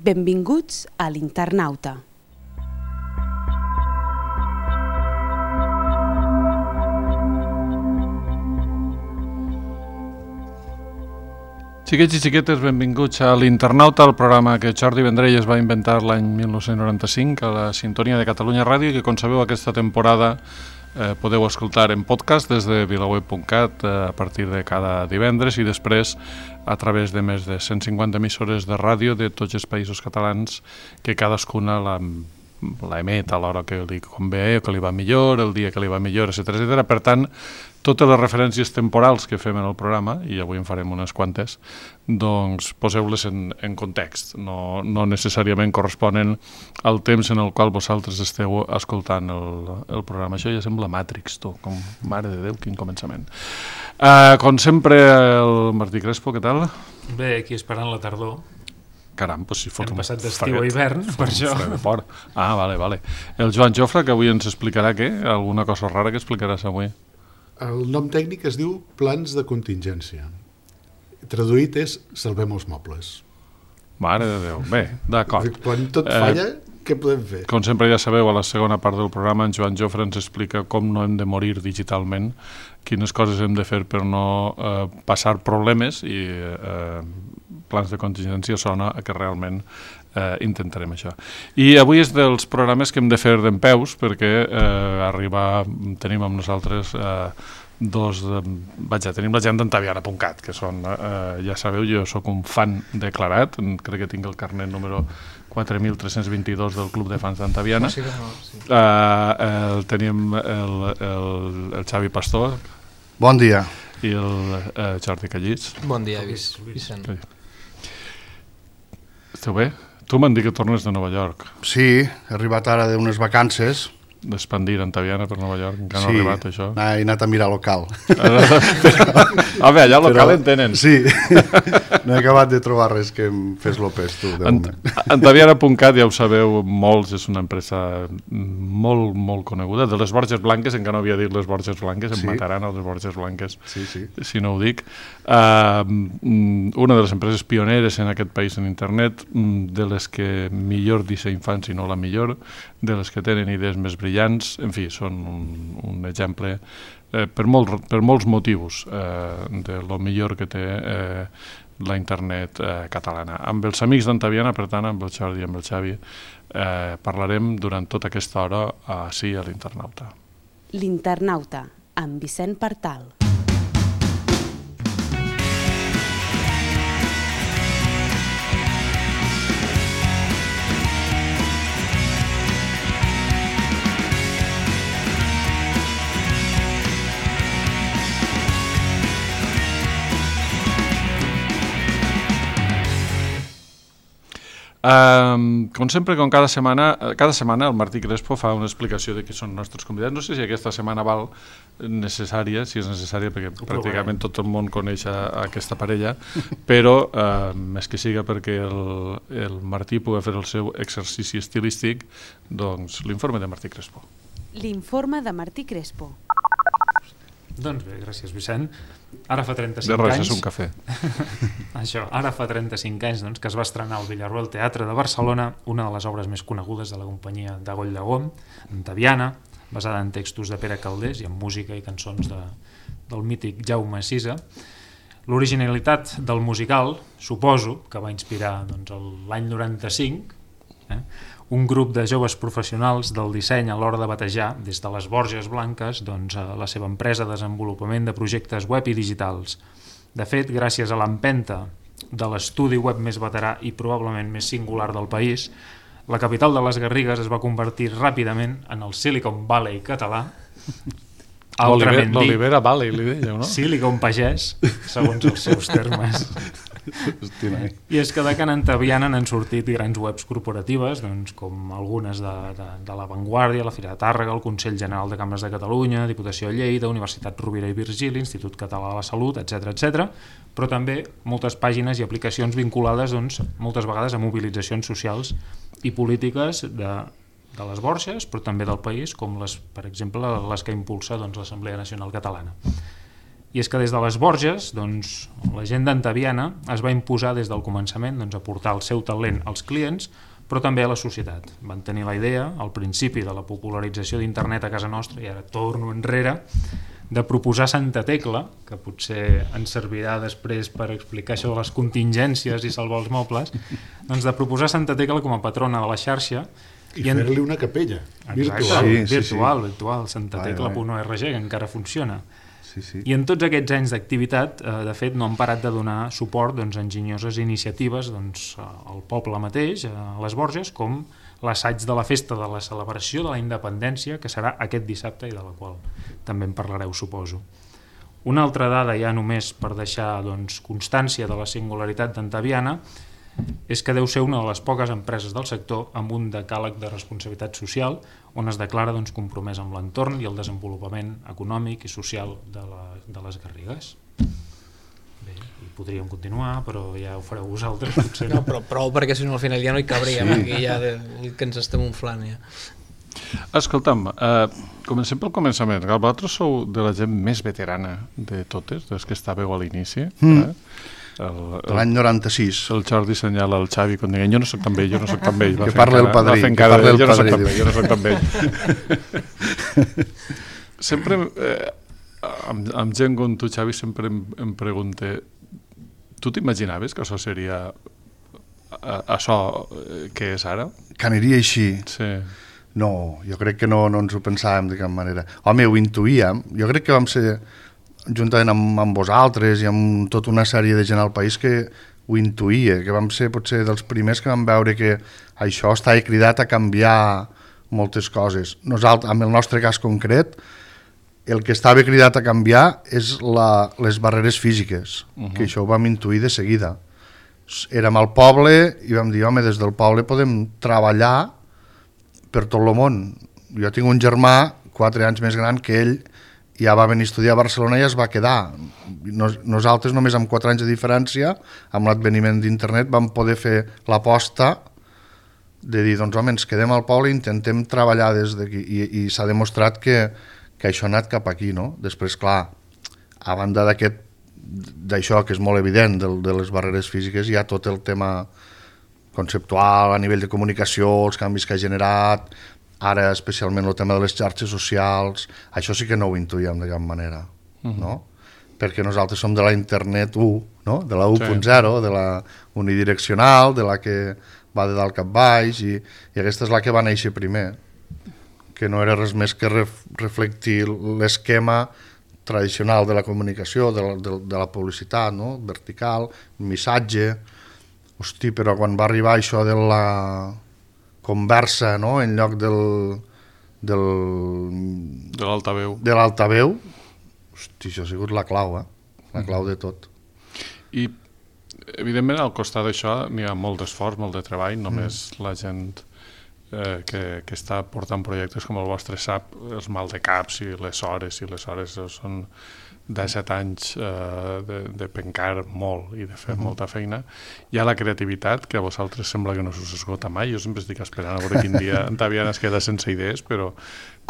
Benvinguts a l'Internauta. Xiquets i xiquetes, benvinguts a l'Internauta, el programa que Jordi Vendrell es va inventar l'any 1995 a la sintonia de Catalunya Ràdio i que, com sabeu, aquesta temporada podeu escoltar en podcast des de vilaweb.cat a partir de cada divendres i després a través de més de 150 emissores de ràdio de tots els països catalans que cadascuna l'emet a l'hora que li convé o que li va millor, el dia que li va millor, etc. Per tant, totes les referències temporals que fem en el programa, i avui en farem unes quantes, doncs poseu-les en context. No necessàriament corresponen al temps en el qual vosaltres esteu escoltant el programa. Això ja sembla Matrix, tu, com mare de Déu, quin començament. Com sempre, el Martí Crespo, què tal? Bé, aquí esperant la tardor. Caram, doncs si fot hem passat d'estiu a hivern, per això. Vale. El Joan Jofre, que avui ens explicarà què? Alguna cosa rara que explicaràs avui? El nom tècnic es diu plans de contingència. Traduït és salvem els mobles. Mare de Déu. Bé, d'acord. Quan tot falla, què podem fer? Com sempre ja sabeu, a la segona part del programa en Joan Jofre ens explica com no hem de morir digitalment, quines coses hem de fer per no passar problemes i plans de contingència sona que realment intentarem això. I avui és dels programes que hem de fer dempeus perquè tenim amb nosaltres tenim la gent d'Antaviana.cat, que són, ja sabeu, jo sóc un fan declarat, crec que tinc el carnet número 4.322 del Club de Fans d'Antaviana. Sí. Tenim el Xavi Pastor. Bon dia. I el Jordi Callís. Bon dia, Vicent. Esteu bé? Tu m'han dit que tornes de Nova York. Sí, he arribat ara d'unes vacances. D'expandir Antaviana per Nova York, encara no ha arribat això. He anat a mirar local. Allà local en tenen. Sí, no he acabat de trobar res que em fes l'opes, tu, de moment. Antaviana.cat, ja ho sabeu, molts, és una empresa molt, molt coneguda. De les Borges Blanques, encara no havia dit les Borges Blanques, em mataran a les Borges Blanques, si no ho dic. Una de les empreses pioneres en aquest país en internet, de les que millor disseny fan, si no la millor, de les que tenen idees més brillants, en fi, són un exemple per molts motius de lo millor que té la internet catalana. Amb els amics d'Antaviana, per tant, amb el Jordi i amb el Xavi, parlarem durant tota aquesta hora ací a l'Internauta. L'Internauta, amb Vicent Partal. Com sempre, com cada setmana el Martí Crespo fa una explicació de qui són els nostres convidats. No sé si aquesta setmana val necessària, si és necessària, perquè pràcticament tot el món coneix aquesta parella, però més que siga perquè el Martí pugui fer el seu exercici estilístic, doncs l'informe de Martí Crespo. L'informe de Martí Crespo. Doncs bé, gràcies, Vicent. Ara fa 35 anys... De res, és un cafè. Això, ara fa 35 anys que es va estrenar al Villarroel Teatre de Barcelona una de les obres més conegudes de la companyia de Goll de Gom, Antaviana, basada en textos de Pere Calders i en música i cançons del mític Jaume Sisa. L'originalitat del musical, suposo, que va inspirar l'any 95, un grup de joves professionals del disseny a l'hora de batejar des de les Borges Blanques la seva empresa de desenvolupament de projectes web i digitals. De fet, gràcies a l'empenta de l'estudi web més veterà i probablement més singular del país, la capital de les Garrigues es va convertir ràpidament en el Silicon Valley català, altrament dit l'Olivera Valley, li deia, no? Silicon Pagès, segons els seus termes. I és que de Can Antaviana n'han sortit grans webs corporatives, com algunes de La Vanguardia, la Fira de Tàrrega, el Consell General de Cambres de Catalunya, Diputació de Lleida, Universitat Rovira i Virgili, Institut Català de la Salut, etc., però també moltes pàgines i aplicacions vinculades moltes vegades a mobilitzacions socials i polítiques de les Borges, però també del país, com per exemple les que impulsa l'Assemblea Nacional Catalana. I és que des de les Borges, doncs, la gent d'Antaviana es va imposar des del començament a portar el seu talent als clients, però també a la societat. Van tenir la idea, al principi de la popularització d'internet a casa nostra, i ara torno enrere, de proposar Santa Tecla, que potser ens servirà després per explicar això de les contingències i salvar els mobles, doncs de proposar Santa Tecla com a patrona de la xarxa i fer-li una capella virtual. Virtual, santatecla.org, que encara funciona. Sí. I en tots aquests anys d'activitat, de fet, no han parat de donar suport a enginyoses iniciatives al poble mateix, a les Borges, com l'assaig de la festa de la celebració de la independència, que serà aquest dissabte i de la qual també en parlareu, suposo. Una altra dada, ja només per deixar constància de la singularitat d'Antaviana, és que deu ser una de les poques empreses del sector amb un decàleg de responsabilitat social on es declara compromès amb l'entorn i el desenvolupament econòmic i social de les Garrigues. Bé, i podríem continuar, però ja ho fareu vosaltres, potser. No, però prou, perquè si no al final ja no hi cabríem, aquí ja que ens estem inflant ja. Escolta'm, comencem pel començament. Vosaltres sou de la gent més veterana de totes, des que estàveu a l'inici. L'any 96. El Jordi senyala al Xavi quan diguen jo no soc tan vell, Que parla el padrí. Jo no soc tan vell. Sempre, amb gent com tu, Xavi, sempre em pregunte, tu t'imaginaves que això seria això que és ara? Que aniria així? Sí. No, jo crec que no ens ho pensàvem de cap manera. Home, ho intuïem. Jo crec que vam ser, juntament amb vosaltres i amb tota una sèrie de gent al país que ho intuïa, que vam ser potser dels primers que vam veure que això estava cridat a canviar moltes coses. Nosaltres, en el nostre cas concret, el que estava cridat a canviar és les barreres físiques, que això ho vam intuir de seguida. Érem al poble i vam dir, home, des del poble podem treballar per tot el món. Jo tinc un germà 4 anys més gran que ell, ja va venir a estudiar a Barcelona i es va quedar. Nosaltres només amb 4 anys de diferència, amb l'adveniment d'internet, vam poder fer l'aposta de dir, doncs home, ens quedem al poble i intentem treballar des d'aquí. I s'ha demostrat que això ha anat cap aquí, no? Després, clar, a banda d'això que és molt evident, de les barreres físiques, hi ha tot el tema conceptual, a nivell de comunicació, els canvis que ha generat, ara especialment el tema de les xarxes socials, això sí que no ho intuïem de cap manera, no? Perquè nosaltres som de la internet 1, no? De la 1.0, de la unidireccional, de la que va de dalt cap baix, i aquesta és la que va néixer primer, que no era res més que reflectir l'esquema tradicional de la comunicació, de la publicitat, no? Vertical, missatge. Hosti, però quan va arribar això de la conversa, no? En lloc de l'altaveu, hosti, això ha sigut la clau, la clau de tot. I, evidentment, al costat d'això n'hi ha molt d'esforç, molt de treball, només la gent que està portant projectes com el vostre sap, els mal de caps i les hores són 17 anys de pencar molt i de fer molta feina. Hi ha la creativitat, que a vosaltres sembla que no us esgota mai. Jo sempre estic esperant a veure quin dia Antaviana es queda sense idees, però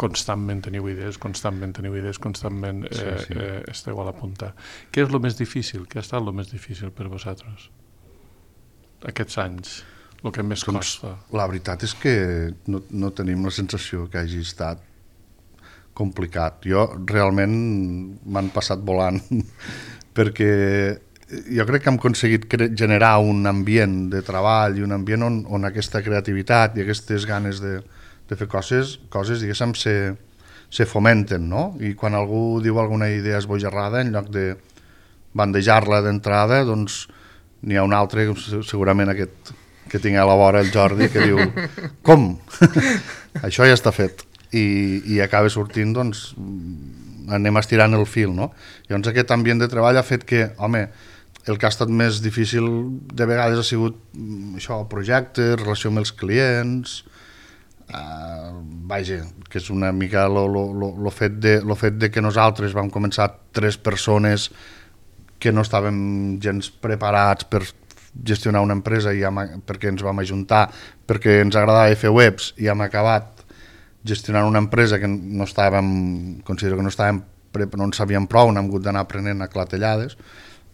constantment teniu idees, constantment esteu a la punta. Què és el més difícil? Què ha estat el més difícil per vosaltres aquests anys? El que més costa? La veritat és que no tenim la sensació que hagi estat complicat. Jo realment m'han passat volant perquè jo crec que hem aconseguit generar un ambient de treball i un ambient on aquesta creativitat i aquestes ganes de fer coses diguéssim, se fomenten, no? I quan algú diu alguna idea esbojarrada, en lloc de bandejar-la d'entrada, doncs n'hi ha un altre, segurament aquest que tinc a la vora, el Jordi, que diu com? Això ja està fet. I acaba sortint, doncs, anem estirant el fil, no? Llavors aquest ambient de treball ha fet que, home, el que ha estat més difícil de vegades ha sigut això, projectes, relació amb els clients, vaja, que és una mica el fet de que nosaltres vam començar 3 persones que no estàvem gens preparats per gestionar una empresa perquè ens vam ajuntar, perquè ens agradava fer webs i hem acabat gestionant una empresa que considero que no estàvem no en sabíem prou, n'hem hagut d'anar aprenent a clatellades.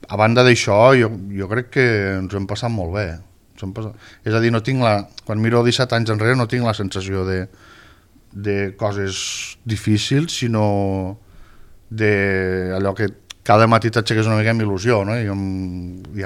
A banda d'això, jo crec que ens ho hem passat molt bé. És a dir, quan miro 17 anys enrere no tinc la sensació de coses difícils, sinó d'allò que cada matí t'aixeques una mica amb il·lusió, no? I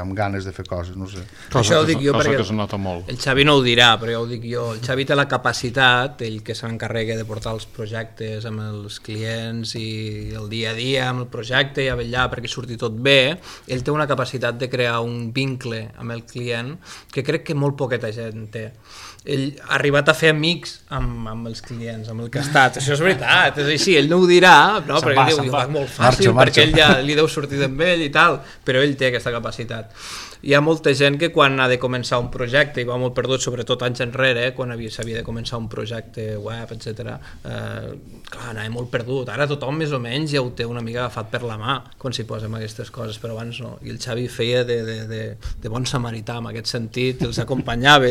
amb ganes de fer coses, no sé. Això ho dic jo perquè que es nota molt. El Xavi no ho dirà, però ja ho dic jo. El Xavi té la capacitat, ell que s'encarrega de portar els projectes amb els clients i el dia a dia amb el projecte i a vetllar perquè surti tot bé, ell té una capacitat de crear un vincle amb el client que crec que molt poqueta gent té. Ell ha arribat a fer amics amb els clients, amb el que ha estat. Això és veritat, és així, ell no ho dirà, no? Perquè ell diu, va molt fàcil, perquè ell ja li deu sortir amb ell i tal, però ell té aquesta capacitat. Hi ha molta gent que quan ha de començar un projecte, i va molt perdut, sobretot anys enrere, quan s'havia de començar un projecte web, etc. Clar, anava molt perdut. Ara tothom més o menys ja ho té una mica agafat per la mà quan s'hi posa amb aquestes coses, però abans no. I el Xavi feia de bon samarità, en aquest sentit, els acompanyava.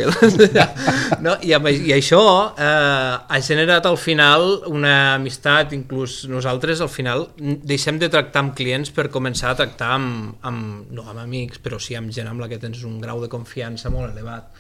No? I això ha generat al final una amistat, inclús nosaltres al final deixem de tractar amb clients per començar a tractar no amb amics, però sí amb gent amb la que tens un grau de confiança molt elevat.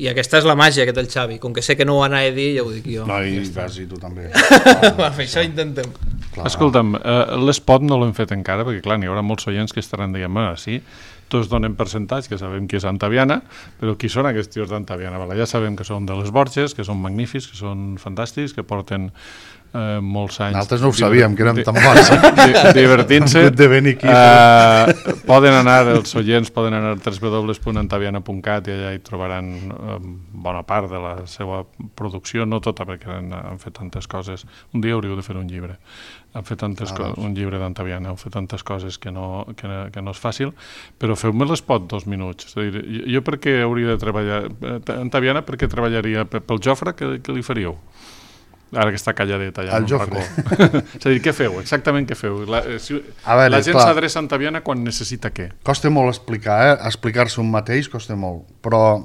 I aquesta és la màgia que té el Xavi, com que sé que no ho anava a dir, ja ho dic jo. No, i vas, i tu també. Això intentem. Clar. Escolta'm, l'espot no l'hem fet encara, perquè clar, n'hi haurà molts oients que estaran dient, sí, tots donen percentatge, que sabem qui és Antaviana, però qui són aquests tios d'Antaviana? Ja sabem que són de les Borges, que són magnífics, que són fantàstics, que porten molts anys... Nosaltres no ho sabíem, que érem tan bons. Divertint-se. Poden anar, els oients poden anar a www.antaviana.cat i allà hi trobaran bona part de la seva producció, no tota, perquè han fet tantes coses. Un dia hauríeu de fer un llibre. Han fet un llibre d'Antaviana, heu fet tantes coses que no és fàcil, però feu-me l'espot 2 minuts. És a dir, jo per què hauria de treballar... Antaviana, per què treballaria? Pel Jofre, què li faríeu? Ara que està calladet allà en un racó. És a dir, què feu? Exactament què feu? La gent s'adreça a Antaviana quan necessita què? Costa molt explicar-se un mateix costa molt, però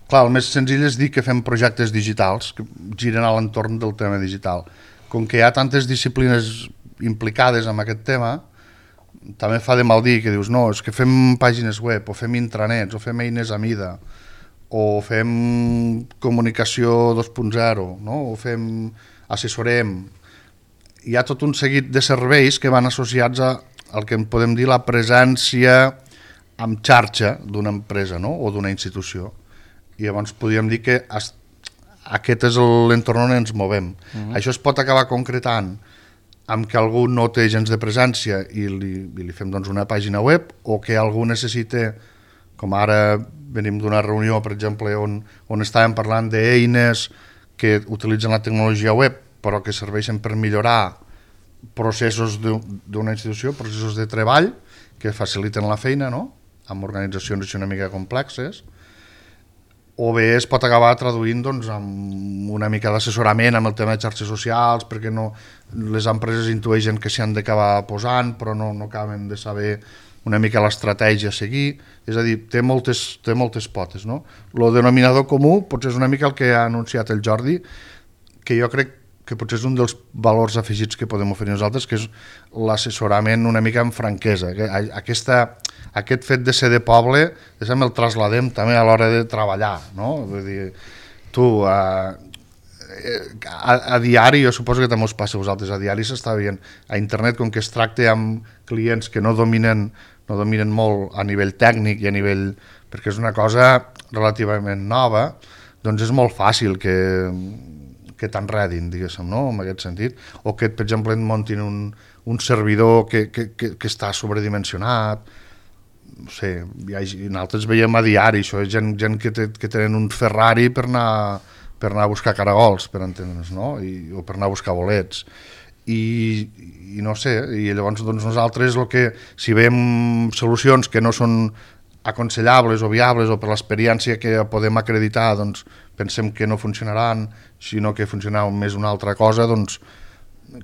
clar, el més senzill és dir que fem projectes digitals que giren a l'entorn del tema digital. Com que hi ha tantes disciplines implicades en aquest tema, també fa de mal dir que dius, no, és que fem pàgines web, o fem intranets, o fem eines a mida, o fem comunicació 2.0, no? O assessorem. Hi ha tot un seguit de serveis que van associats al que en podem dir la presència en xarxa d'una empresa, no? O d'una institució. I llavors podríem dir que aquest és l'entorn on ens movem. Això es pot acabar concretant amb que algú no té gens de presència i li fem doncs, una pàgina web, o que algú necessita, com ara venim d'una reunió, per exemple, on estàvem parlant d'eines que utilitzen la tecnologia web però que serveixen per millorar processos d'una institució, processos de treball que faciliten la feina, no? Amb organitzacions una mica complexes, o bé es pot acabar traduint doncs, amb una mica d'assessorament amb el tema de xarxes socials, perquè les empreses intueixen que s'hi han d'acabar posant però no acaben de saber una mica l'estratègia a seguir, és a dir, té moltes potes, no? El denominador comú potser és una mica el que ha anunciat el Jordi, que jo crec que potser és un dels valors afegits que podem oferir nosaltres, que és l'assessorament una mica amb franquesa. Aquest fet de ser de poble, el trasladem també a l'hora de treballar, no? Vull dir, tu, a diari, jo suposo que també us passa a vosaltres, a diari s'està veient, a internet, com que es tracta amb clients que no dominen molt a nivell tècnic i a nivell... perquè és una cosa relativament nova, doncs és molt fàcil que t'enredin, diguéssim, no? En aquest sentit. O que, per exemple, et muntin un servidor que està sobredimensionat. No sé, nosaltres veiem a diari, això és gent que tenen un Ferrari per anar a buscar caragols, per entendre'ns, no? O per anar a buscar bolets. I no sé, i llavors doncs, nosaltres si veiem solucions que no són aconsellables o viables o per l'experiència que podem acreditar doncs pensem que no funcionaran, sinó que funcionaran més una altra cosa, doncs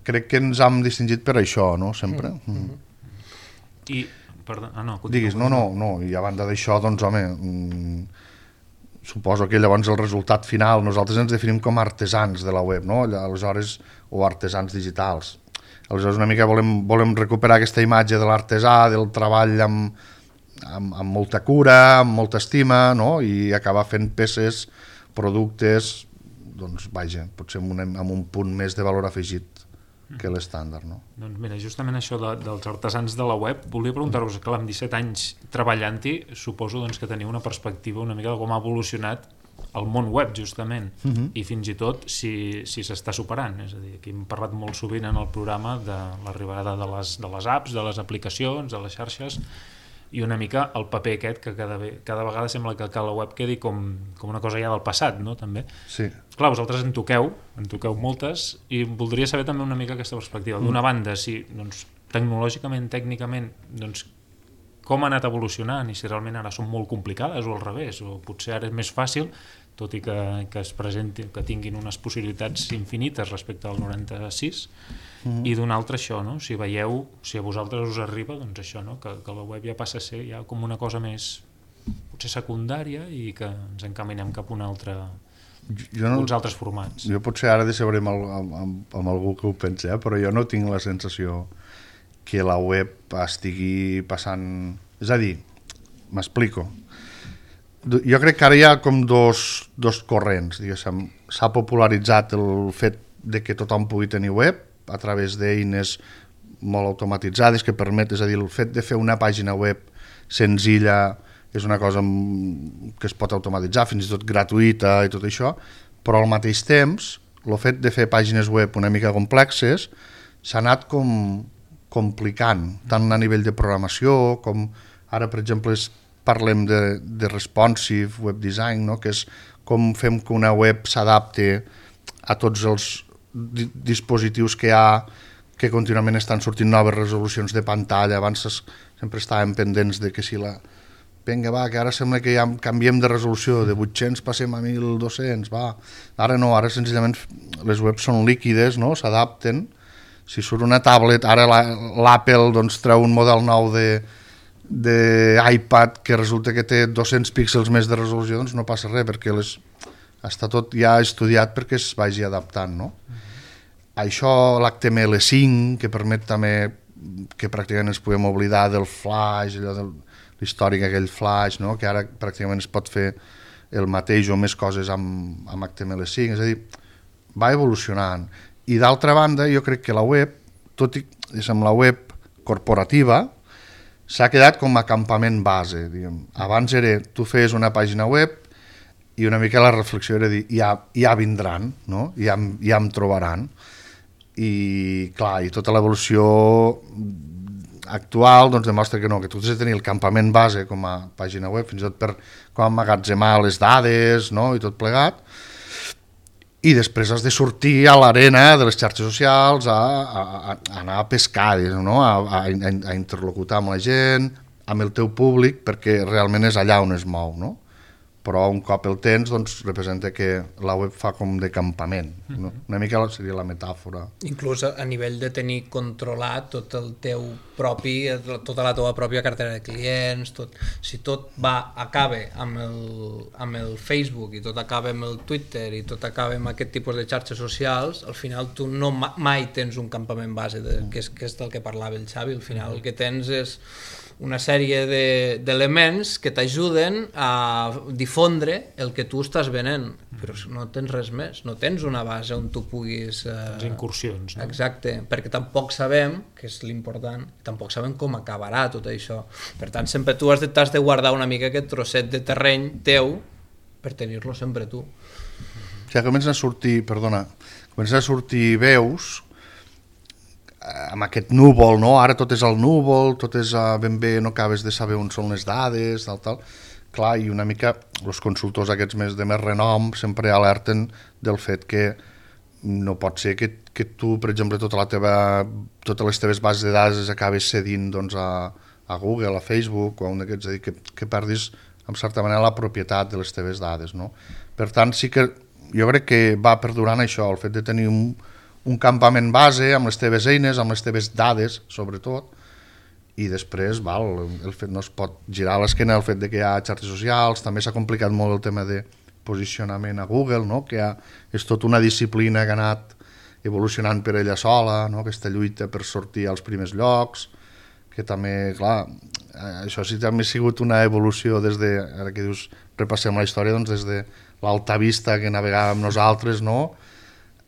crec que ens hem distingit per això, no? Sempre. I, perdó, diguis, no, i a banda d'això, doncs home, suposo que llavors el resultat final, nosaltres ens definim com a artesans de la web, no? Aleshores, o artesans digitals. Aleshores una mica volem recuperar aquesta imatge de l'artesà, del treball amb molta cura, amb molta estima, no? I acabar fent peces, productes, doncs vaja, potser amb un punt més de valor afegit que l'estàndard, no? Doncs mira, justament això dels artesans de la web, volia preguntar-vos, clar, amb 17 anys treballant-hi, suposo doncs, que teniu una perspectiva una mica de com ha evolucionat el món web, justament, i fins i tot si s'està superant. És a dir, aquí hem parlat molt sovint en el programa de l'arribada de les apps, de les aplicacions, de les xarxes, i una mica el paper aquest que cada vegada sembla que la web quedi com una cosa ja del passat, no? També. Sí. Clar, vosaltres en toqueu moltes, i voldria saber també una mica aquesta perspectiva. D'una banda, si doncs, tecnològicament, tècnicament, doncs, com ha anat evolucionant i si realment ara són molt complicades o al revés, o potser ara és més fàcil, tot i que es presenti, que tinguin unes possibilitats infinites respecte al 96, i d'un altre això, no? Si veieu, si a vosaltres us arriba, doncs això, no? Que la web ja passa a ser ja com una cosa més potser secundària i que ens encaminem cap a uns altres formats. Jo potser ara decebré amb algú que ho pensi, però jo no tinc la sensació que la web estigui passant... És a dir, m'explico. Jo crec que ara hi ha com dos corrents, diguéssim. S'ha popularitzat el fet de que tothom pugui tenir web a través d'eines molt automatitzades que permet, és a dir, el fet de fer una pàgina web senzilla és una cosa que es pot automatitzar, fins i tot gratuïta i tot això, però al mateix temps el fet de fer pàgines web una mica complexes s'ha anat com complicant, tant a nivell de programació com ara, per exemple, parlem de responsive web design, no? Que és com fem que una web s'adapti a tots els dispositius que hi ha, que contínuament estan sortint noves resolucions de pantalla. Abans sempre estàvem pendents de que si vinga, va, que ara sembla que ja canviem de resolució, de 800 passem a 1200, va. Ara no, ara senzillament les webs són líquides, no? S'adapten. Si surt una tablet, ara l'Apple doncs, treu un model nou d'iPad que resulta que té 200 píxels més de resolució, doncs no passa res, perquè està tot ja estudiat perquè es vagi adaptant, no? Això, l'HTML5, que permet també que pràcticament ens podem oblidar del Flash, allò de l'històric aquell Flash, no? Que ara pràcticament es pot fer el mateix o més coses amb HTML5, és a dir, va evolucionant. I d'altra banda, jo crec que la web, tot i amb la web corporativa, s'ha quedat com a campament base. Diguem. Abans tu feies una pàgina web i una mica la reflexió era dir, ja vindran, no? Ja em trobaran. I clar, i tota l'evolució actual doncs, demostra que no, que tu has de tenir el campament base com a pàgina web, fins i tot per com emmagatzemar les dades, no? I tot plegat. I després has de sortir a l'arena de les xarxes socials a anar a pescar, no? a interlocutar amb la gent, amb el teu públic, perquè realment és allà on es mou, no? Però un cop el tens, doncs representa que la web fa com de campament, no? Una mica seria la metàfora. Inclús a nivell de tenir controlat tot el teu propi, tota la teva pròpia cartera de clients, si tot acaba amb el Facebook i tot acaba amb el Twitter i tot acaba amb aquest tipus de xarxes socials, al final tu no mai tens un campament base, que és del que parlava el Xavi. Al final el que tens és una sèrie d'elements que t'ajuden a difondre el que tu estàs venent, però no tens res més, no tens una base on tu puguis... Les incursions, no? Exacte, perquè tampoc sabem, que és l'important, tampoc sabem com acabarà tot això. Per tant, sempre tu has de guardar una mica aquest trosset de terreny teu per tenir-lo sempre tu. Ja comencen a sortir veus amb aquest núvol, no? Ara tot és al núvol, tot és ben bé, no acabes de saber on són les dades, tal. Clar, i una mica els consultors aquests de més renom sempre alerten del fet que no pot ser que tu, per exemple, totes les teves bases de dades les acabes cedint doncs, a Google, a Facebook, o a un d'aquests, és a dir, que perdis, en certa manera, la propietat de les teves dades, no? Per tant, sí que jo crec que va perdurant això, el fet de tenir un campament base amb les teves eines, amb les teves dades, sobretot, i després el fet no es pot girar a l'esquena el fet de que hi ha xarxes socials. També s'ha complicat molt el tema de posicionament a Google, no? Que és tota una disciplina que ha anat evolucionant per ella sola, no? Aquesta lluita per sortir als primers llocs, que també, clar, això sí també ha sigut una evolució des de, ara que dius, repassem la història, doncs des de l'Alta Vista que navegàvem nosaltres, no?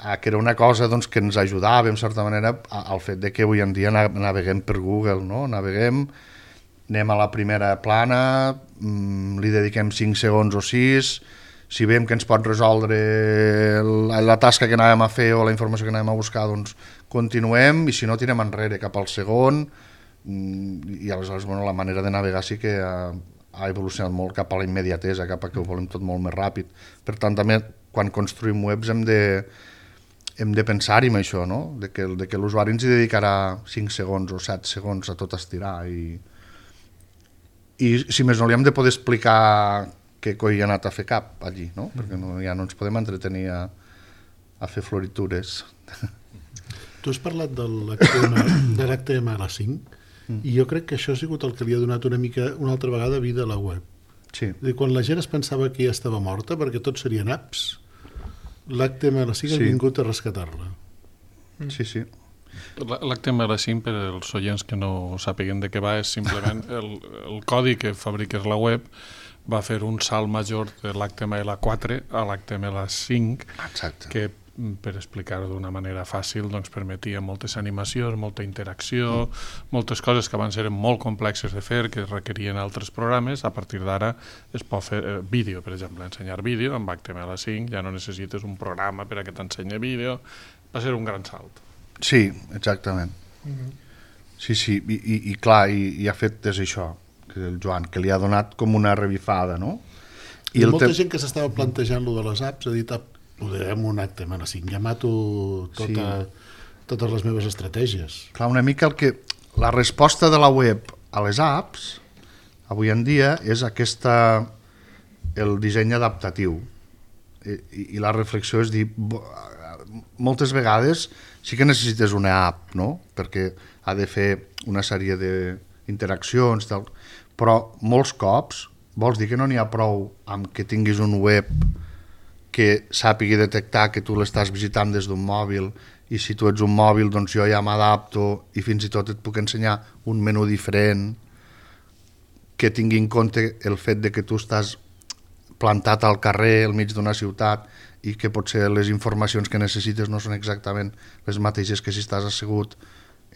Que era una cosa doncs, que ens ajudava, en certa manera, al fet de que avui en dia naveguem per Google, no? Naveguem, anem a la primera plana, li dediquem 5 segons o 6, si veiem que ens pot resoldre la tasca que anàvem a fer o la informació que anàvem a buscar, doncs continuem, i si no tirem enrere cap al segon, i aleshores bueno, la manera de navegar sí que ha evolucionat molt cap a la immediatesa, cap a que ho volem tot molt més ràpid. Per tant, també quan construïm webs hem de pensar-hi en això, no? de que l'usuari ens hi dedicarà 5 segons o 7 segons a tot estirar, i si més no li hem de poder explicar què coi ha anat a fer cap allí, no? Perquè ja no ens podem entretenir a fer floritures. Tu has parlat de l'HTML5 i jo crec que això ha sigut el que li ha donat una altra vegada vida a la web. Sí. Quan la gent es pensava que ja estava morta perquè tot serien apps, l'HTML5 ha vingut a rescatar-la. Sí, sí. L'HTML5, per als oients que no sàpiguen de què va, és simplement el codi que fabriques la web va fer un salt major de l'HTML4 a l'HTML5. Exacte. Que, per explicar-ho d'una manera fàcil, doncs permetia moltes animacions, molta interacció, moltes coses que abans eren molt complexes de fer, que requerien altres programes. A partir d'ara es pot fer vídeo, per exemple, ensenyar vídeo amb HTML5, ja no necessites un programa per a que t'ensenyi vídeo. Va ser un gran salt. Sí, exactament. Sí, sí, i clar, i ha fet és això, que el Joan, que li ha donat com una revifada, no? I molta gent que s'estava plantejant lo de les apps ha dit, podrem un HTML5, ja mato totes les meves estratègies. Clar, una mica la resposta de la web a les apps, avui en dia, és el disseny adaptatiu. I la reflexió és dir, moltes vegades sí que necessites una app, no? Perquè ha de fer una sèrie d'interaccions, però molts cops vols dir que no n'hi ha prou amb que tinguis un web que sàpigui detectar que tu l'estàs visitant des d'un mòbil, i si tu ets un mòbil doncs jo ja m'adapto i fins i tot et puc ensenyar un menú diferent que tingui en compte el fet de que tu estàs plantat al carrer, al mig d'una ciutat, i que potser les informacions que necessites no són exactament les mateixes que si estàs assegut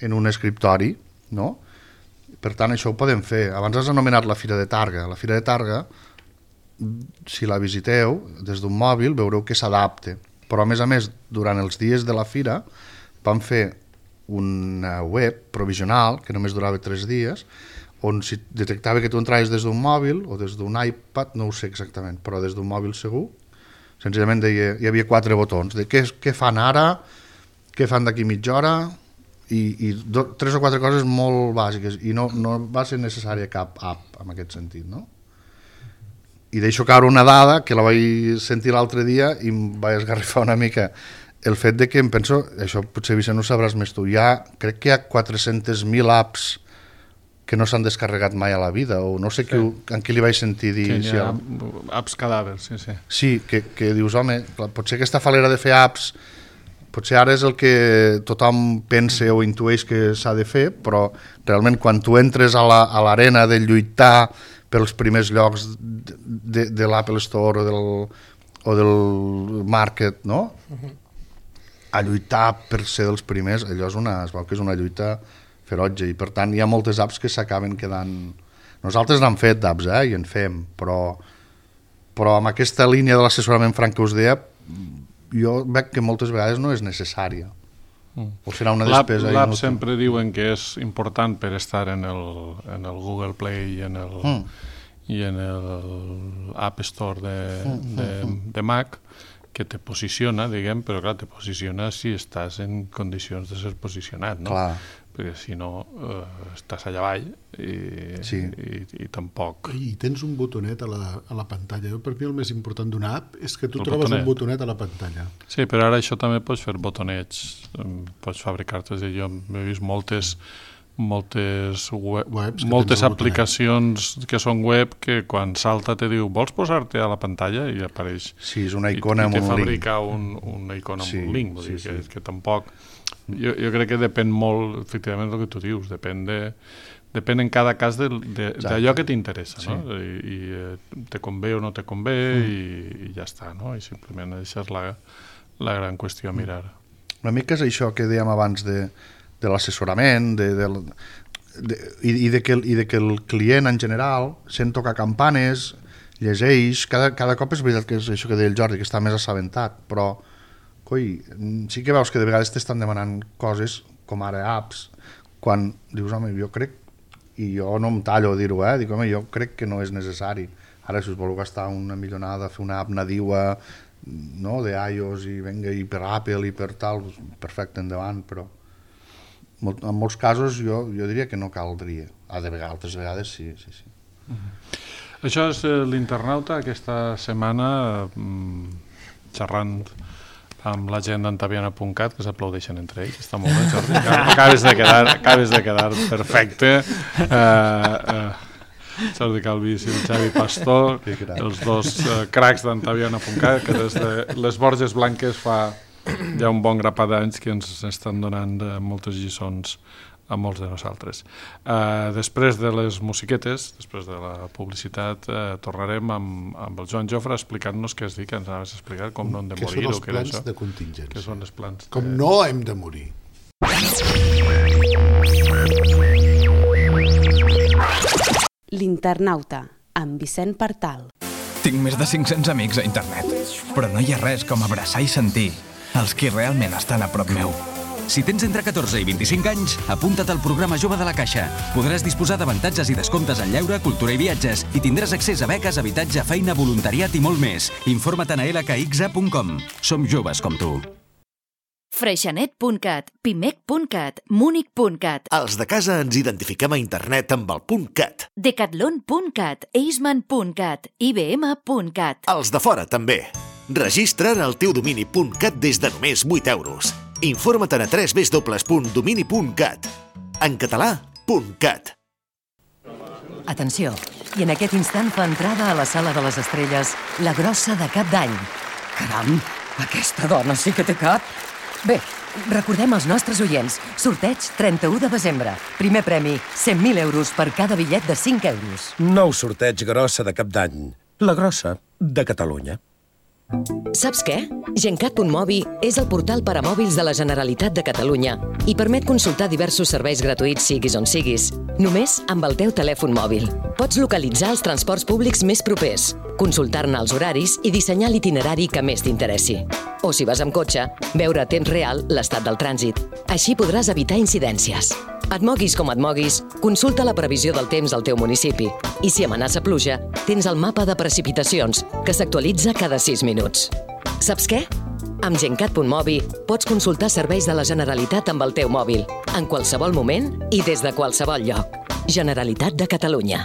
en un escriptori, no? Per tant, això ho podem fer. Abans has anomenat la Fira de Targa. La Fira de Targa, si la visiteu des d'un mòbil, veureu que s'adapta. Però, a més, durant els dies de la fira vam fer una web provisional, que només durava 3 dies, on si detectava que tu entraves des d'un mòbil o des d'un iPad, no ho sé exactament, però des d'un mòbil segur, senzillament deia, hi havia 4 botons de què fan ara, què fan d'aquí mitja hora, i 3 o 4 coses molt bàsiques, i no va ser necessària cap app en aquest sentit, no? I deixo caure una dada que la vaig sentir l'altre dia i em vaig esgarrifar una mica, el fet de que em penso, això potser Vicent ho sabràs més tu, crec que hi ha 400.000 apps que no s'han descarregat mai a la vida, o no sé en qui li vaig sentir dir... Que hi ha apps cadàvers, sí, sí. Sí, que dius, home, potser aquesta falera de fer apps, potser ara és el que tothom pensa o intueix que s'ha de fer, però realment quan tu entres a l'arena de lluitar pels primers llocs de l'Apple Store o del Market, no? A lluitar per ser dels primers, allò es veu que és una lluita ferotge, i per tant hi ha moltes apps que s'acaben quedant... Nosaltres n'hem fet d'apps, i en fem, però amb aquesta línia de l'assessorament franc que us deia, jo veig que moltes vegades no és necessària. O serà una despesa inútil. L'app sempre diuen que és important per estar en el Google Play i en el App Store de Mac, que te posiciona, diguem, però clar, te posiciona si estàs en condicions de ser posicionat, no? Clar. Perquè si no estàs allà avall i tampoc... I tens un botonet a la pantalla. Per mi el més important d'una app és que tu trobes un botonet a la pantalla. Sí, però ara això també pots fer botonets, pots fabricar-te. Jo he vist moltes moltes tens el aplicacions que són web que quan salta te diu vols posar-te a la pantalla i apareix. Sí, és una icona amb un link. I te fabrica una icona amb un link. Vull dir que tampoc... Jo crec que depèn molt, efectivament, del que tu dius. Depèn en cada cas d'allò que t'interessa, no? I te convé o no te convé i ja està, no? I simplement això és la gran qüestió a mirar. Una mica és això que dèiem abans de l'assessorament i de que el client en general sent tocar campanes, llegeix, cada cop és veritat que és això que deia el Jordi, que està més assabentat, però sí que veus que de vegades t'estan demanant coses com ara apps, quan dius, home, jo crec, i jo no em tallo a dir-ho, dic, home, jo crec que no és necessari. Ara, si us voleu gastar una millonada, fer una app nadiua, no, d'iOS i venga, i per Apple i per tal, perfecte, endavant, però en molts casos jo diria que no caldria. Altres vegades sí. Això és l'Internauta, aquesta setmana xerrant amb la gent d'antaviana.cat, que s'aplaudeixen entre ells. Està molt bé, Jordi. Acabes de quedar perfecte. Jordi Calvís i el Xavi Pastor, els dos cracs d'antaviana.cat, que des de les Borges Blanques fa ja un bon grapat d'anys que ens estan donant moltes lliçons a molts de nosaltres. Després de les musiquetes, després de la publicitat, tornarem amb el Joan Jofre explicant-nos què és dir, que ens anaves a explicar com no hem de morir. Què són els plans de contingència? Què són els plans? Com no hem de morir. L'Internauta, amb Vicent Partal. Tinc més de 500 amics a internet, però no hi ha res com abraçar i sentir els qui realment estan a prop meu. Si tens entre 14 i 25 anys, apunta't al programa Jove de la Caixa. Podràs disposar d'avantatges i descomptes en lleure, cultura i viatges i tindràs accés a beques, habitatge, feina, voluntariat i molt més. Informa't a lkxa.com. Som joves com tu. Freixenet.cat, Pimec.cat, Múnich.cat. Els de casa ens identifiquem a internet amb el .cat. Decathlon.cat, Eisman.cat, IBM.cat. Els de fora també. Registra't al teu domini .cat des de només 8 euros. Informa't a www.domini.cat. En català, .cat. Atenció, i en aquest instant fa entrada a la sala de les estrelles la grossa de Cap d'Any. Caram, aquesta dona sí que té cap. Bé, recordem als nostres oients, sorteig 31 de desembre. Primer premi, 100.000 euros per cada bitllet de 5 euros. Nou sorteig grossa de Cap d'Any. La grossa de Catalunya. Saps què? Gencat.mobi és el portal per a mòbils de la Generalitat de Catalunya i permet consultar diversos serveis gratuïts siguis on siguis, només amb el teu telèfon mòbil. Pots localitzar els transports públics més propers, consultar-ne els horaris i dissenyar l'itinerari que més t'interessi. O si vas amb cotxe, veure a temps real l'estat del trànsit. Així podràs evitar incidències. Et moguis com et moguis, consulta la previsió del temps al teu municipi. I si amenaça pluja, tens el mapa de precipitacions, que s'actualitza cada 6 minuts. Saps què? Amb Gencat.mobi pots consultar serveis de la Generalitat amb el teu mòbil, en qualsevol moment i des de qualsevol lloc. Generalitat de Catalunya.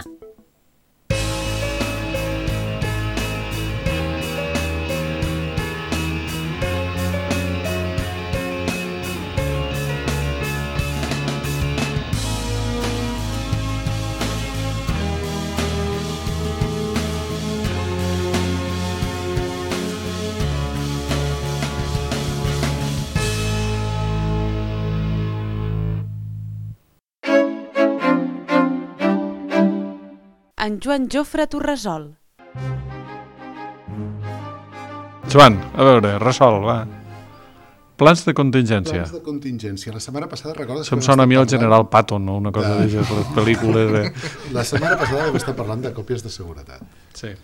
En Joan Jofre Torresol. Joan, a veure, resol, va. Plans de contingència. Plans de contingència. La setmana passada, recordes... Això em sona a mi el General Patton, no? Una cosa de les pel·lícules... La setmana passada vam estar parlant de còpies de seguretat. Sí.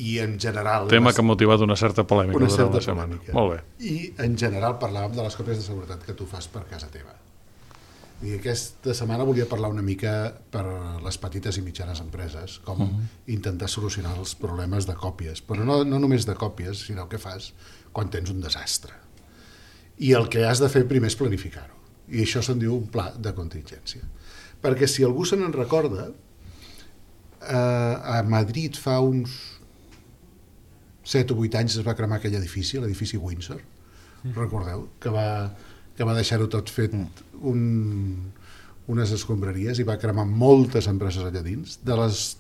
I en general... Tema que ha motivat una certa polèmica. Una certa polèmica. Molt bé. I en general parlàvem de les còpies de seguretat que tu fas per casa teva. I aquesta setmana volia parlar una mica per les petites i mitjanes empreses, com intentar solucionar els problemes de còpies, però no només de còpies, sinó el que fas quan tens un desastre. I el que has de fer primer és planificar-ho. I això se'n diu un pla de contingència. Perquè si algú se n'en recorda, a Madrid fa uns 7 o 8 anys es va cremar aquell edifici, l'edifici Windsor, recordeu, que va deixar-ho tot fet unes escombraries i va cremar moltes empreses allà dins.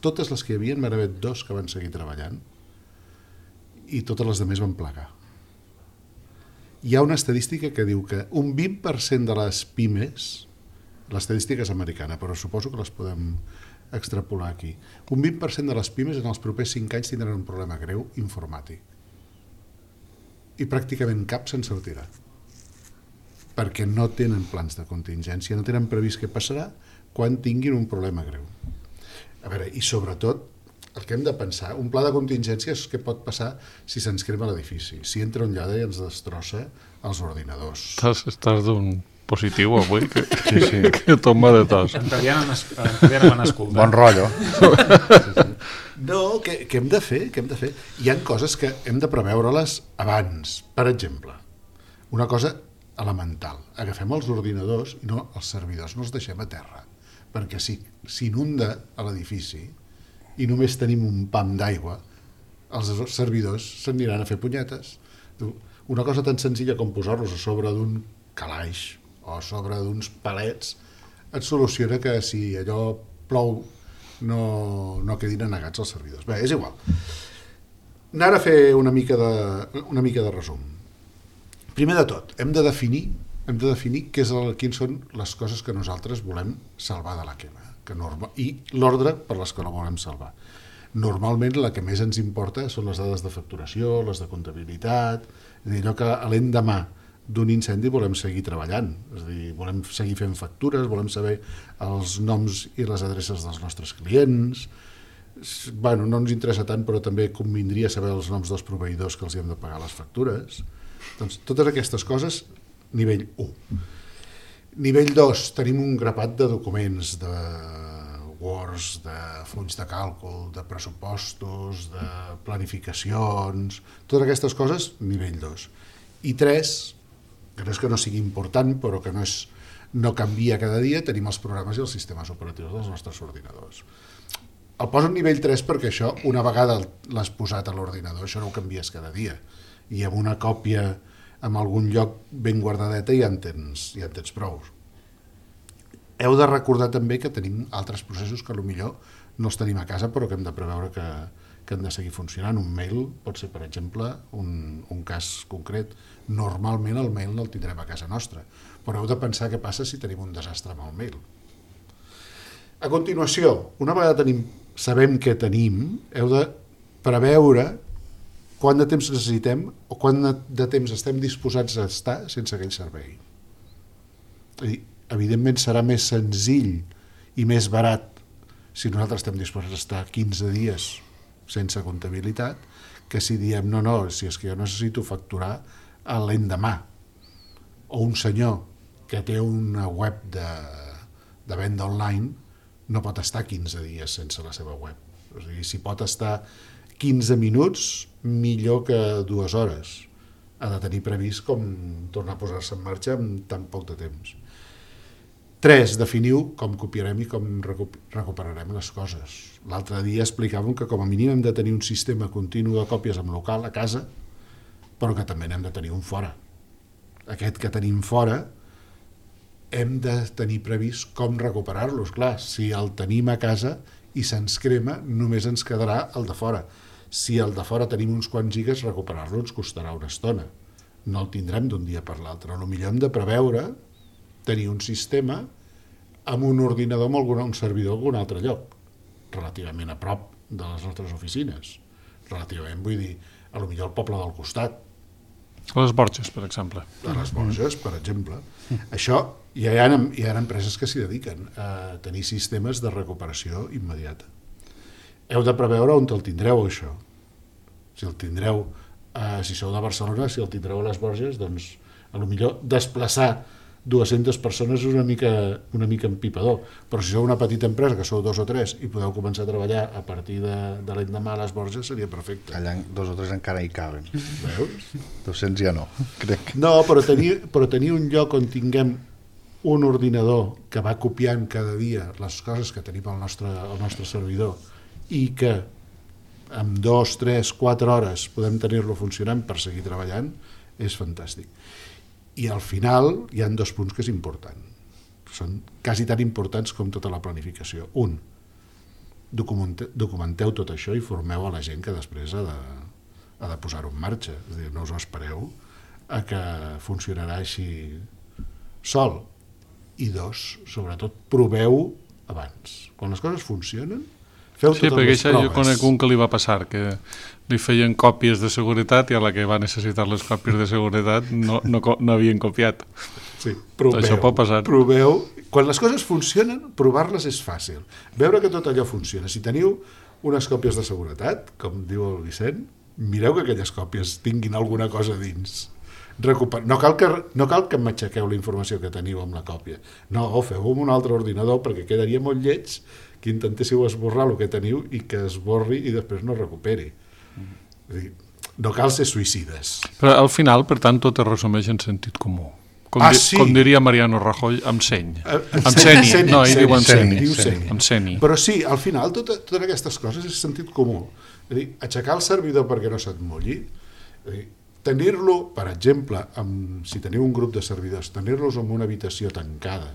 Totes les que hi havia, n'hi va haver 2 que van seguir treballant i totes les altres van plegar. Hi ha una estadística que diu que un 20% de les pimes, l'estadística és americana, però suposo que les podem extrapolar aquí, un 20% de les pimes en els propers 5 anys tindran un problema greu informàtic. I pràcticament cap se'n sortirà. Perquè no tenen plans de contingència, no tenen previst què passarà quan tinguin un problema greu. A veure, i sobretot, el que hem de pensar, un pla de contingència és què pot passar si se'ns crema l'edifici, si entra un lladre i ens destrossa els ordinadors. Estàs d'un positiu avui, que tomba de tos. En van escoltar. Bon rotllo. No, què hem de fer? Hi ha coses que hem de preveure-les abans. Per exemple, una cosa elemental. Agafem els ordinadors i no els servidors no els deixem a terra, perquè si s'inunda a l'edifici i només tenim un pam d'aigua, els servidors s'aniran a fer punyetes. Una cosa tan senzilla com posar-los a sobre d'un calaix o a sobre d'uns palets et soluciona que si allò plou no quedin anegats els servidors. Bé, és igual. Anar a fer una mica de resum. Primer de tot, hem de definir quines són les coses que nosaltres volem salvar de la quema i l'ordre per les que no volem salvar. Normalment la que més ens importa són les dades de facturació, les de comptabilitat, és a dir, allò que a l'endemà d'un incendi volem seguir treballant, és a dir, volem seguir fent factures, volem saber els noms i les adreces dels nostres clients. Bueno, no ens interessa tant, però també convindria saber els noms dels proveïdors que els hem de pagar les factures. Doncs totes aquestes coses, nivell 1. Nivell 2, tenim un grapat de documents, de Words, de fulls de càlcul, de pressupostos, de planificacions, totes aquestes coses, nivell 2. I 3, que no és que no sigui important, però que no canvia cada dia, tenim els programes i els sistemes operatius dels nostres ordinadors. El poso en nivell 3 perquè això, una vegada l'has posat a l'ordinador, això no ho canvies cada dia. I amb una còpia en algun lloc ben guardadeta ja en tens prou. Heu de recordar també que tenim altres processos que potser no els tenim a casa però que hem de preveure que han de seguir funcionant. Un mail pot ser, per exemple, un cas concret. Normalment el mail no el tindrem a casa nostra, però heu de pensar què passa si tenim un desastre amb el mail. A continuació, una vegada sabem què tenim, heu de preveure quant de temps necessitem o quant de temps estem disposats a estar sense aquell servei. Evidentment serà més senzill i més barat si nosaltres estem disposats a estar 15 dies sense comptabilitat que si diem no, si és que jo necessito facturar a l'endemà. O un senyor que té una web de venda online no pot estar 15 dies sense la seva web. O sigui, si pot estar 15 minuts, millor que 2 hores. Ha de tenir previst com tornar a posar-se en marxa en tan poc de temps. 3. Definiu com copiarem i com recuperarem les coses. L'altre dia explicàvem que com a mínim hem de tenir un sistema continu de còpies en local a casa, però que també n'hem de tenir un fora. Aquest que tenim fora hem de tenir previst com recuperar-los. Clar, si el tenim a casa i se'ns crema, només ens quedarà el de fora. Si el de fora tenim uns quants gigas, recuperar-lo ens costarà una estona. No el tindrem d'un dia per l'altre. Potser hem de preveure tenir un sistema amb un ordinador amb un servidor a algun altre lloc, relativament a prop de les nostres oficines. Relativament, vull dir, potser al poble del costat. A les Borges, per exemple. A les Borges, per exemple. Això, hi ha empreses que s'hi dediquen a tenir sistemes de recuperació immediata. Heu de preveure on el tindreu, això. Si el tindreu, si sou de Barcelona, si el tindreu a les Borges, doncs, potser desplaçar 200 persones és una mica empipador, però si sou una petita empresa, que sou 2 o 3, i podeu començar a treballar a partir de l'endemà a les Borges, seria perfecte. Allà 2 o 3 encara hi caben. Veus? 200 ja no, crec. No, però tenir un lloc on tinguem un ordinador que va copiant cada dia les coses que tenim al nostre servidor i que en 2, 3, 4 hores podem tenir-lo funcionant per seguir treballant, és fantàstic. I al final hi ha 2 punts que és important. són quasi tan importants com tota la planificació. Un, documenteu tot això i formeu a la gent que després ha de posar-ho en marxa. És a dir, no us ho espereu a que funcionarà així sol. I dos, sobretot, proveu abans. Quan les coses funcionen, feu totes les proves. Sí, perquè jo conec un que li va passar, que li feien còpies de seguretat i a la que va necessitar les còpies de seguretat no havien copiat. Sí, proveu. Això pot passar. Proveu. Quan les coses funcionen, provar-les és fàcil. Veure que tot allò funciona. Si teniu unes còpies de seguretat, com diu el Vicent, mireu que aquelles còpies tinguin alguna cosa dins. No cal que m'aixequeu la informació que teniu amb la còpia. No, feu-ho amb un altre ordinador perquè quedaria molt lleig que intentéssiu esborrar el que teniu i que esborri i després no recuperi. No cal ser suïcides. Però al final, per tant, tot es resumeix en sentit comú. Com diria Mariano Rajoy, amb seny. Amb seny. No, ell diu amb seny. Però sí, al final, totes aquestes coses és sentit comú. És a dir, aixecar el servidor perquè no se't mulli, tenir-lo, per exemple, si teniu un grup de servidors, tenir-los en una habitació tancada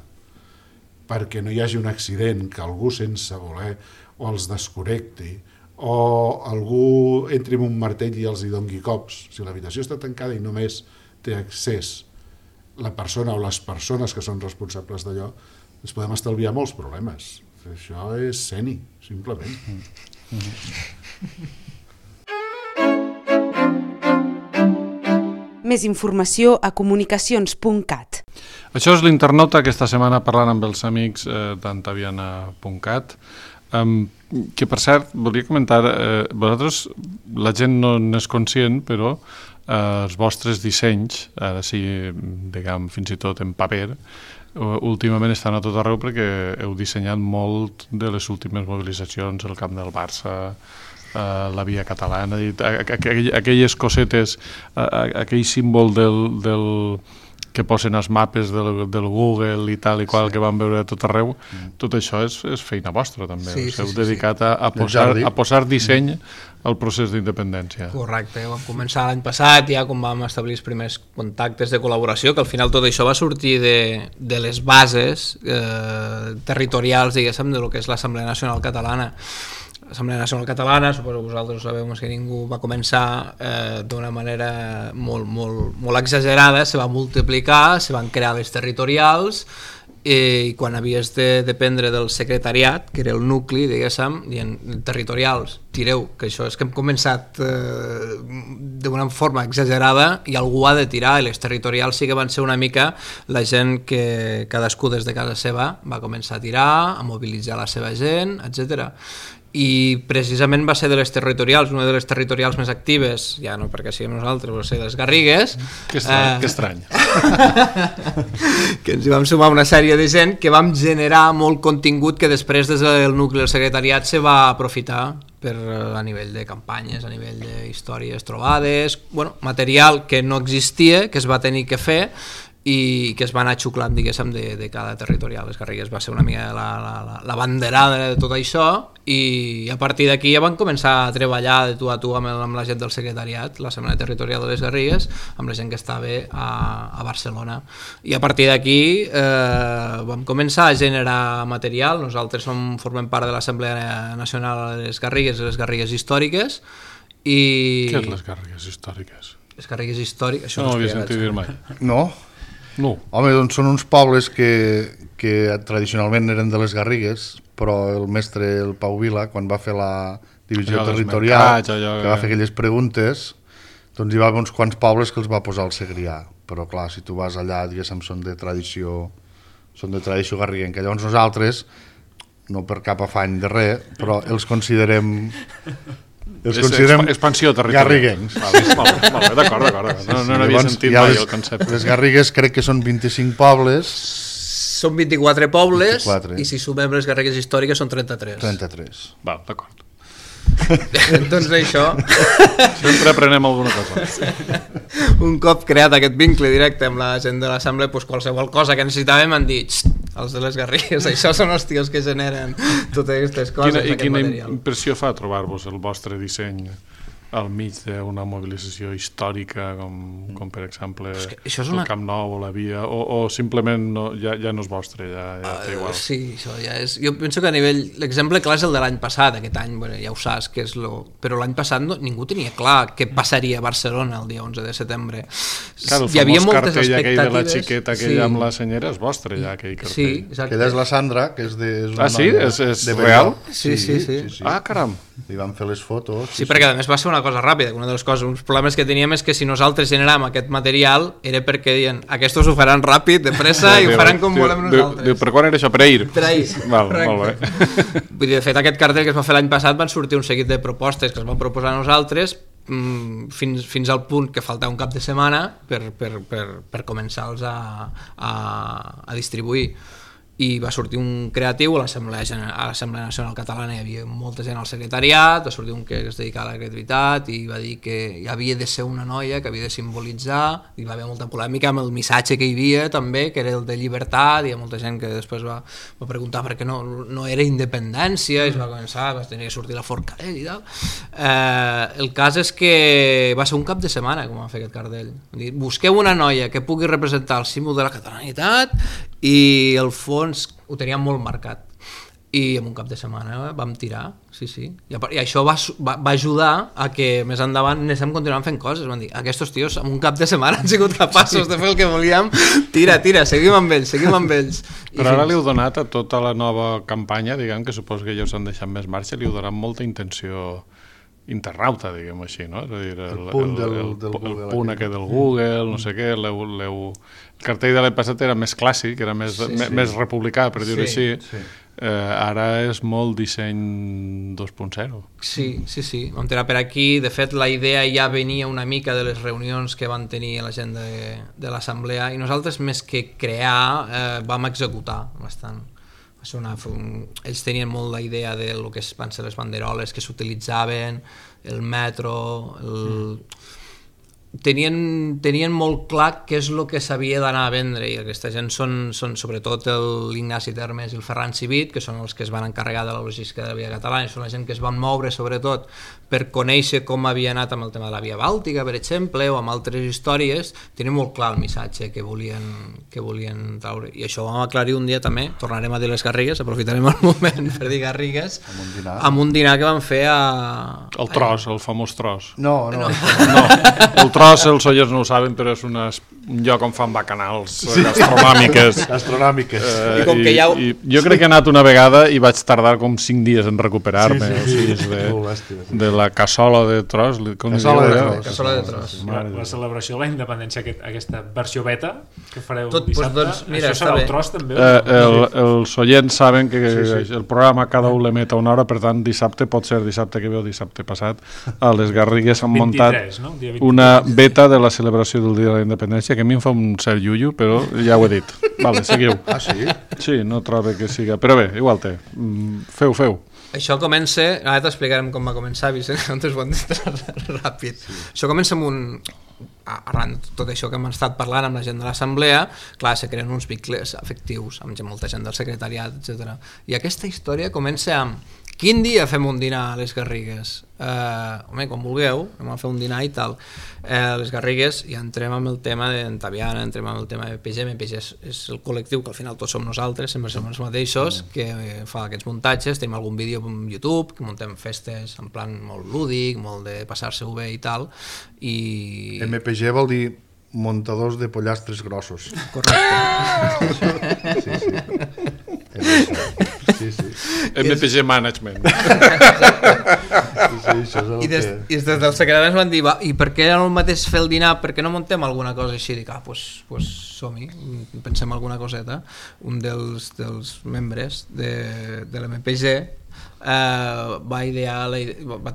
perquè no hi hagi un accident, que algú sense voler o els desconnecti, o algú entri amb un martell i els hi dongui cops. Si l'habitació està tancada i només té accés la persona o les persones que són responsables d'allò, ens podem estalviar molts problemes. Això és seny, simplement. Més informació a comunicacions.cat. Això és l'Internauta, aquesta setmana parlant amb els amics d'antaviana.cat, que per cert, volia comentar, vosaltres, la gent no n'és conscient, però els vostres dissenys, ara sí, diguem, fins i tot en paper, últimament estan a tot arreu perquè heu dissenyat molt de les últimes mobilitzacions, el camp del Barça, la via catalana, aquelles cosetes, aquell símbol que posen els mapes del Google i tal i qual que van veure a tot arreu, tot això és feina vostra també. Us heu dedicat a posar disseny al procés d'independència. Correcte, vam començar l'any passat ja quan vam establir els primers contactes de col·laboració, que al final tot això va sortir de les bases territorials, diguéssim, de lo que és l'Assemblea Nacional Catalana. L'Assemblea Nacional Catalana, suposo que vosaltres sabeu que ningú va començar d'una manera molt exagerada, se va multiplicar, se van crear les territorials i quan havies de dependre del secretariat, que era el nucli, diguéssim, dient territorials, tireu, que això és que hem començat d'una forma exagerada i algú ha de tirar, i les territorials sí que van ser una mica la gent que cadascú des de casa seva va començar a tirar, a mobilitzar la seva gent, etc. I precisament va ser de les territorials, una de les territorials més actives, ja no perquè siguem nosaltres, però ser les Garrigues. Que estrany. Que ens hi vam sumar una sèrie de gent que vam generar molt contingut que després des del nucli del secretariat se va aprofitar a nivell de campanyes, a nivell d'històries trobades, material que no existia, que es va tenir que fer i que es va anar xuclant, diguéssim, de cada territorial. Les Garrigues va ser una mica la banderada de tot això i a partir d'aquí ja van començar a treballar de tu a tu amb la gent del secretariat, l'Assemblea Territorial de les Garrigues, amb la gent que estava a Barcelona. I a partir d'aquí vam començar a generar material. Nosaltres formem part de l'Assemblea Nacional de les Garrigues i les Garrigues Històriques. Què és les Garrigues Històriques? Les Garrigues Històriques... No ho havia sentit dir mai. No? No. Home, doncs són uns pobles que tradicionalment eren de les Garrigues, però el mestre, el Pau Vila, quan va fer la divisió territorial, que va fer aquelles preguntes, doncs hi va haver uns quants pobles que els va posar al Segrià. Però clar, si tu vas allà, diguéssim, són de tradició garriguenca. Llavors nosaltres, no per cap afany de res, però els considerem expansió territorial. Garriguencs. Molt bé, d'acord. No n'havia sentit mai el concepte. Les Garrigues crec que són 25 pobles. Són 24 pobles i si sumem les Garrigues històriques són 33. Val, d'acord. Doncs això... Sempre aprenem alguna cosa. Un cop creat aquest vincle directe amb la gent de l'Assemblea, qualsevol cosa que necessitàvem han dit els de les Garrigues, això són els tios que generen totes aquestes coses. Quina impressió fa trobar-vos el vostre disseny al mig d'una mobilització històrica com per exemple el Camp Nou o la Via, o simplement ja no és vostre, ja té igual? Sí, això ja és... Jo penso que a nivell... L'exemple clar és el de l'any passat, aquest any, ja ho saps, que és però l'any passat ningú tenia clar què passaria a Barcelona el dia 11 de setembre. Clar, el famós cartell aquell de la xiqueta aquella amb la senyera és vostre, ja, aquell cartell. Sí, exacte. Aquella és la Sandra, que és de... Ah, sí? És real? Sí. Ah, caram. Li van fer les fotos. Sí, perquè a més va ser una cosa ràpida, una de les coses, uns problemes que teníem és que si nosaltres generàvem aquest material era perquè deien, aquests ho faran ràpid, de pressa, i ho faran com volem nosaltres. Per quan era això? Per ahir? Per ahir, molt bé. Vull dir, de fet, aquest cartell que es va fer l'any passat van sortir un seguit de propostes que es van proposar a nosaltres fins al punt que faltava un cap de setmana per començar-los a distribuir. I va sortir un creatiu a l'Assemblea Nacional Catalana, hi havia molta gent al secretariat, va sortir un que es dedicava a la creativitat i va dir que hi havia de ser una noia que havia de simbolitzar, i va haver molta polèmica amb el missatge que hi havia també, que era el de llibertat, i hi ha molta gent que després va preguntar per què no era independència, i es va començar, va tenir que sortir la Forcadell i tal. El cas és que va ser un cap de setmana com va fer aquest cartell. Busqueu una noia que pugui representar el símbol de la catalanitat, i el fons ho teníem molt marcat, i en un cap de setmana vam tirar, sí, i això va ajudar a que més endavant anéssim continuant fent coses. Van dir, aquests tios en un cap de setmana han sigut capaços de fer el que volíem, tira, seguim amb ells. Però ara li heu donat a tota la nova campanya, diguem, que suposo que ja us han deixat més marxa, li heu donat molta intenció internauta, diguem així, no? És a dir, el punt aquest del Google, no sé què, el cartell de l'any passat era més clàssic, era més republicà, per dir-ho així. Ara és molt disseny 2.0. Sí, vam tirar per aquí. De fet, la idea ja venia una mica de les reunions que van tenir la gent de l'assemblea, i nosaltres, més que crear, vam executar bastant. Ells tenien molt la idea de lo que van ser les banderoles que s'utilitzaven, el metro, tenien molt clar què és el que s'havia d'anar a vendre, i aquesta gent són sobretot l'Ignasi Termes i el Ferran Civit, que són els que es van encarregar de la logística de la Via Catalana, són la gent que es van moure sobretot per conèixer com havia anat amb el tema de la Via Bàltica, per exemple, o amb altres històries. Tenien molt clar el missatge que volien traure, i això ho vam aclarir un dia també. Tornarem a dir les Garrigues, aprofitarem el moment per dir Garrigues, amb un dinar que vam fer el tros, el famós tros. No. El tros, els oients no ho saben, però és un lloc on fan bacanals gastronòmiques. I com que ja... Jo crec que he anat una vegada i vaig tardar com 5 dies en recuperar-me, de la cassola de tros. Cassola de tros. La celebració de la independència, aquesta versió beta que fareu dissabte, això serà el tros també? Els oients saben que el programa cada un l'emet a una hora, per tant dissabte pot ser dissabte que ve o dissabte passat. A les Garrigues han muntat una beta de la celebració del Dia de la Independència, que a mi em fa un cert iullo, però ja ho he dit. Vale, seguiu. Ah, sí? Sí, no trobo que siga... Però bé, igual té. Feu. Això comença... Ara t'explicarem com va començar, Vicent, antes ho hem dit ràpid. Això comença amb un... Arran de tot això que hem estat parlant amb la gent de l'assemblea, clar, se creen uns vincles afectius amb molta gent del secretariat, etc. I aquesta història comença amb quin dia fem un dinar a les Garrigues? Home, quan vulgueu, anem a fer un dinar i tal. Les Garrigues, ja entrem amb el tema d'Entaviana, entrem amb el tema de MPG. MPG és el col·lectiu que al final tots som nosaltres, sempre som els mateixos, que fa aquests muntatges. Tenim algun vídeo en YouTube, que muntem festes en plan molt lúdic, molt de passar-se-ho bé i tal. MPG vol dir muntadors de pollastres grossos. Correcte. Sí. MPG Management. I des del secretari ens van dir, i per què era el mateix fer el dinar, per què no muntem alguna cosa així? Dic, doncs som-hi, pensem alguna coseta. Un dels membres de l'MPG va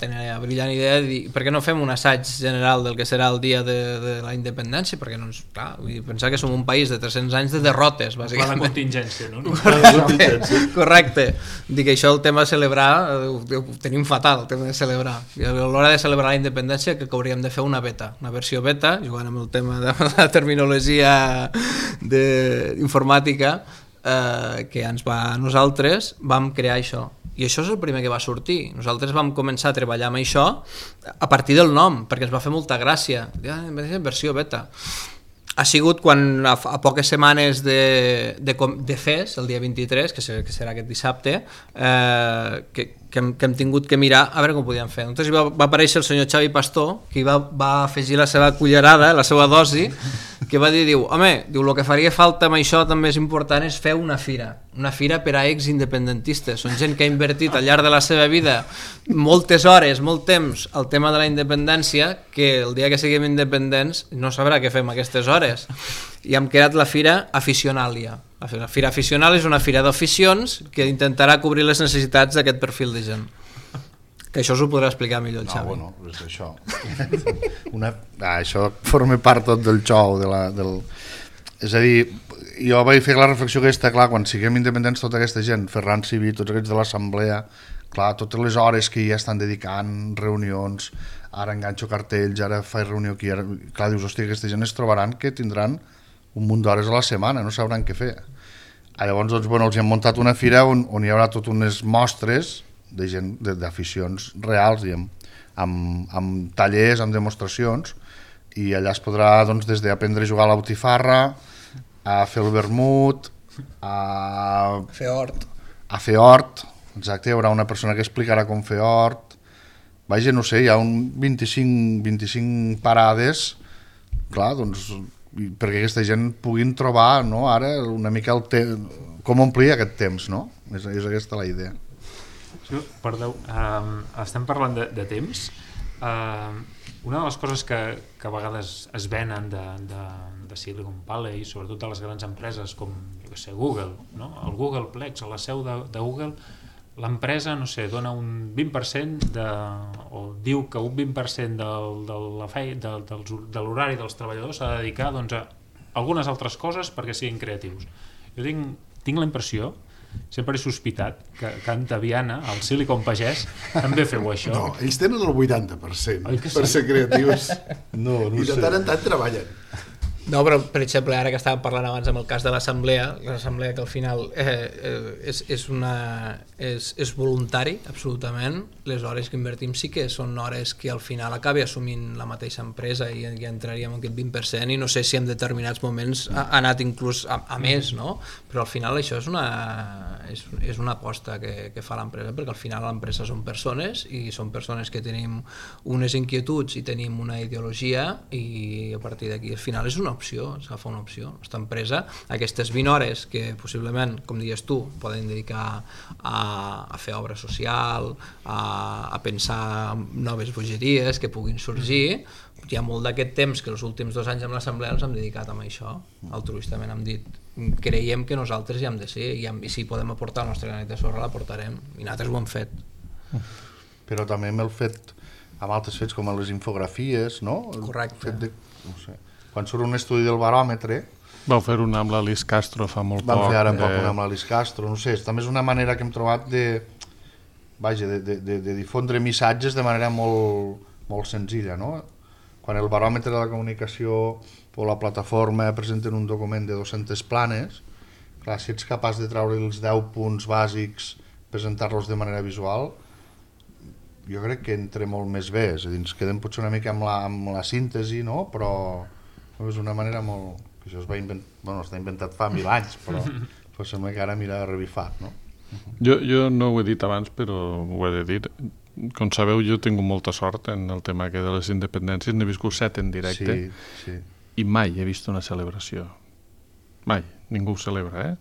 tenir la brillant idea de dir, per què no fem un assaig general del que serà el dia de la independència, perquè no, clar, pensar que som un país de 300 anys de derrotes, bàsicament. La contingència, no? Correcte. Dic que això, el tema de celebrar, ho tenim fatal, el tema de celebrar. I a l'hora de celebrar la independència, que hauríem de fer una beta, una versió beta, jugant amb el tema de la terminologia informàtica, que ens va a nosaltres, vam crear això. I això és el primer que va sortir. Nosaltres vam començar a treballar amb això a partir del nom, perquè ens va fer molta gràcia. Versió beta. Ha sigut quan a poques setmanes de FES, el dia 23, que serà aquest dissabte, que hem tingut que mirar a veure com ho podíem fer. Entonces va aparèixer el senyor Xavi Pastor, que va afegir la seva cullerada, la seva dosi, que va dir, home, el que faria falta amb això també és important és fer una fira per a ex-independentistes. Són gent que ha invertit al llarg de la seva vida moltes hores, molt temps al tema de la independència, que el dia que siguem independents no sabrà què fem aquestes hores. I hem creat la Fira Aficionàlia. La Fira Aficional és una fira d'aficions que intentarà cobrir les necessitats d'aquest perfil de gent. Que això us ho podrà explicar millor el Xavi. No, bueno, és això. Això forma part tot del xou. És a dir, jo vaig fer la reflexió aquesta, clar, quan siguem independents tota aquesta gent, Ferran Civil, tots aquests de l'assemblea, clar, totes les hores que ja estan dedicant, reunions, ara enganxo cartells, ara faig reunió aquí, clar, dius, hòstia, aquesta gent es trobaran que tindran un munt d'hores a la setmana, no sabran què fer. Llavors, doncs, bueno, els hem muntat una fira on hi haurà tot unes mostres de gent, d'aficions reals, diguem, amb tallers, amb demostracions, i allà es podrà, doncs, des d'aprendre a jugar a la botifarra, a fer el vermut, a fer hort. A fer hort, exacte, hi haurà una persona que explicarà com fer hort. Vaja, no sé, hi ha un 25 parades, clar, doncs, perquè aquesta gent puguin trobar, no, ara una mica com omplir aquest temps, no? És aquesta la idea. Perdó, estem parlant de temps. Una de les coses que a vegades es venen de Silicon Valley, sobretot de les grans empreses com, jo què sé, Google, no? El Googleplex, a la seu de Google, l'empresa, no sé, dona un 20% o diu que un 20% de l'horari dels treballadors s'ha de dedicar, doncs, a algunes altres coses perquè siguin creatius. Jo tinc la impressió, sempre he sospitat, que a Antaviana, al Silicon Pagès, també feu això. No, ells tenen el 80% per ser creatius. No i de tant en tant treballen. No, però per exemple, ara que estàvem parlant abans amb el cas de l'assemblea que al final és voluntari, absolutament. Les hores que invertim sí que són hores que al final acabi assumint la mateixa empresa i ja entraríem en aquest 20%, i no sé si en determinats moments ha anat inclús a més, no? Però al final això és una aposta que fa l'empresa, perquè al final l'empresa són persones, i són persones que tenim unes inquietuds i tenim una ideologia, i a partir d'aquí al final és una opció, s'agafa una opció. Aquesta empresa, aquestes 20 hores que possiblement, com dius tu, poden dedicar a fer obra social, a pensar en noves bogeries que puguin sorgir, hi ha molt d'aquest temps que els últims 2 anys amb l'assemblea els hem dedicat a això, altruistament hem dit, creiem que nosaltres hi hem de ser, i si podem aportar el nostre granet de sorra l'aportarem, i nosaltres ho hem fet. Però també hem fet amb altres fets com les infografies, no? Correcte. No sé. Quan surt un estudi del baròmetre... Vau fer una amb l'Alice Castro fa molt poc. Vam fer ara una amb l'Alice Castro, no sé, també és una manera que hem trobat de difondre missatges de manera molt senzilla, no? Quan el baròmetre de la comunicació o la plataforma presenten un document de 200 planes, clar, si ets capaç de treure els 10 punts bàsics, presentar-los de manera visual, jo crec que entra molt més bé, és a dir, ens quedem potser una mica amb la síntesi, no? Però és una manera molt... Això està inventat fa 1000 anys, però sembla que ara mira revifat, no? Jo no ho he dit abans, però ho he de dir. Com sabeu, jo he tingut molta sort en el tema de les independències, n'he viscut 7 en directe, i mai he vist una celebració. Mai, ningú ho celebra,